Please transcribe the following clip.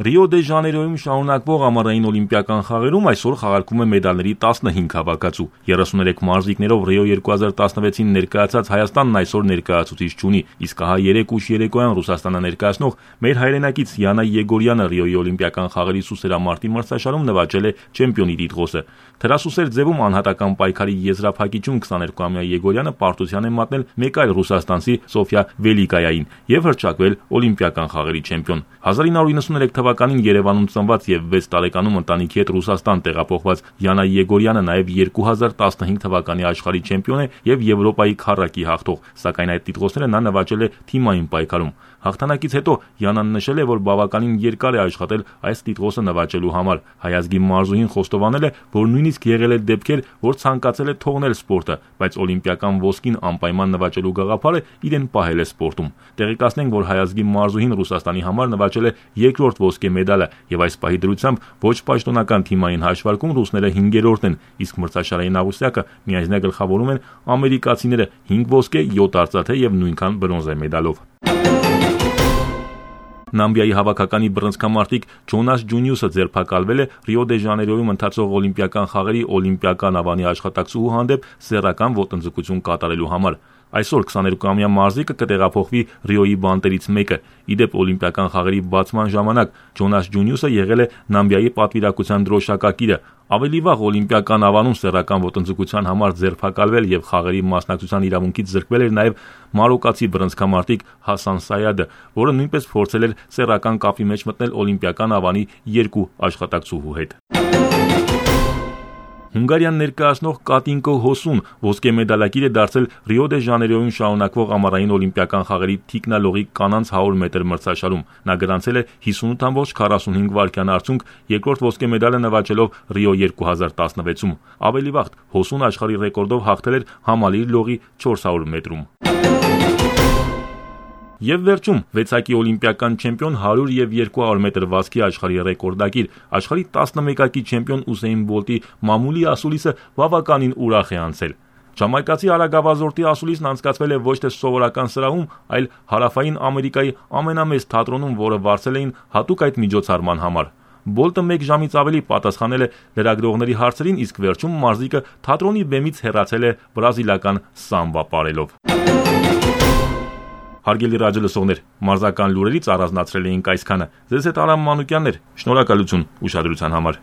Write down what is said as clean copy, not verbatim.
Ռիո դե Ժանեյրոյում շարունակվող ամառային օլիմպիական խաղերում այսօր խաղարկվում է մեդալների 15 հավաքածու։ 33 մարզիկներով Ռիո 2016-ին ներկայացած Հայաստանն այսօր ներկայացուցիչ չունի, իսկ ահա 3 ուշ երեկոյան Ռուսաստանը ներկայացնող մեր հայրենակից Յանա Եգորյանը Ռիոյի օլիմպիական խաղերի սուսերամարտի մրցաշարում նվաճել է չեմպիոնի տիտղոսը։ Թրասուսեր ձևում անհատական պայքարի եզրափակիչում 22-ամյա Եգորյանը պարտության է մատնել մեկ այլ ռուսաստանցի Սոֆիա Վելիկայային եւ հռչակվել օլիմպիական խաղերի չեմպիոն։ 1993 թվականին Երևանում ծնված եւ 6 տարեկանում ընտանիքի հետ Ռուսաստան տեղափոխված Յանա Եգորյանը նաեւ 2015 թվականի աշխարհի չեմպիոն է եւ Եվրոպայի քառակի հաղթող, սակայն այդ տիտղոսները նա նվաճել է թիմային պայքարում։ Հաղթանակից հետո Յանան նշել է, որ բավականին երկար է աշխատել այս տիտղոսը նվաճելու համար։ Հայազգի մարզուհին խոստովանել է, որ նույնիսկ եղել է դեպքեր, որ ցանկացել է թողնել սպորտը, բայց օլիմպիական ոսկին անպայման նվաճելու գաղափարը իրեն պահել է սպորտում։ Տեղեկացնենք, որ հայազգի մարզուհին Ռուսաստանի համար նվաճել է երկրորդ ոսկե մեդալը եւ այս պահի դրությամբ ոչ պաշտոնական թիմային հաշվարկում ռուսները 5-րդն են, իսկ մրցաշարային աղյուսակը միայնակ գլխավորում են ամերիկացիները 5 ոսկե, 7 արծաթե եւ նույնքան բրոնզե մեդալով։ Նամիբիայի հավաքականի բռնցքամարտիկ Ջոնաս Ջունիուսը ձերբակալվել է Ռիո դե Ժանեյրոյում ընթացող օլիմպիական խաղերի օլիմպիական ավանի աշխատակցուհու հանդեպ սեռական ոտնձգություն կատարելու համար։ Այսօր 22-ամյա մարզիկը կտեղափոխվի Ռիոյի բանտերից մեկը։ Իդեպ օլիմպիական խաղերի բացման ժամանակ Ջոնաս Ջունիուսը եղել է Նամիբիայի պատվիրակության դրոշակակիրը։ Ավելի վաղ օլիմպիական ավանում սեռական ոտնձգության համար ձերբակալվել եւ խաղերի մասնակցության իրավունքից զրկվել էր նաեւ մարոկացի բռնցքամարտիկ Հասան Սայադը, որը նույնպես փորձել էր սեռական կապի մեջ մտնել օլիմպիական ավանի 2 աշխատակցուհու հետ։ Հունգարիան ներկայացնող Կատինկո Հոսուն ոսկե մեդալակիր է դարձել Ռիո դե Ժանեյրոյում շարունակվող ամառային օլիմպիական խաղերի թիկնալողի կանանց 100 մետր մրցաշարում։ Նա գրանցել է 58.45 վայրկյան արդյունք, երկրորդ ոսկե մեդալը նվաճելով Ռիո 2016-ում։ Ավելի վաղ Հոսուն աշխարհի ռեկորդով հաղթել էր համալիր լողի 400 մետրում։ Եվ վերջում վեցակի օլիմպիական չեմպիոն 100 եւ 200 մետր վազքի աշխարհի ռեկորդակիր, աշխարհի 11-ակի չեմպիոն Ուսեյն Բոլտի մամուլի ասուլիսը բավականին ուրախ է անցել։ Ժամայկացի արագավազորդի ասուլիսն անցկացվել է ոչ թե սովորական սրահում, այլ հարավային Ամերիկայի ամենամեծ թատրոնում, որը վարձել էին հատուկ այդ միջոցառման համար։ Բոլտը 1 ժամից ավելի պատասխանել է լրագրողների հարցերին, իսկ վերջում մարզիկը թատրոնի բեմից հեռացել է բրազիլական սամբա պարելով։ Հարգելի ռադիոլսողներ, մարզական լուրերից առանձնացրել էինք այսքանը։ Ձեզ հետ Արամ Մանուկյանն էր։ Շնորհակալություն ուշադրության համար։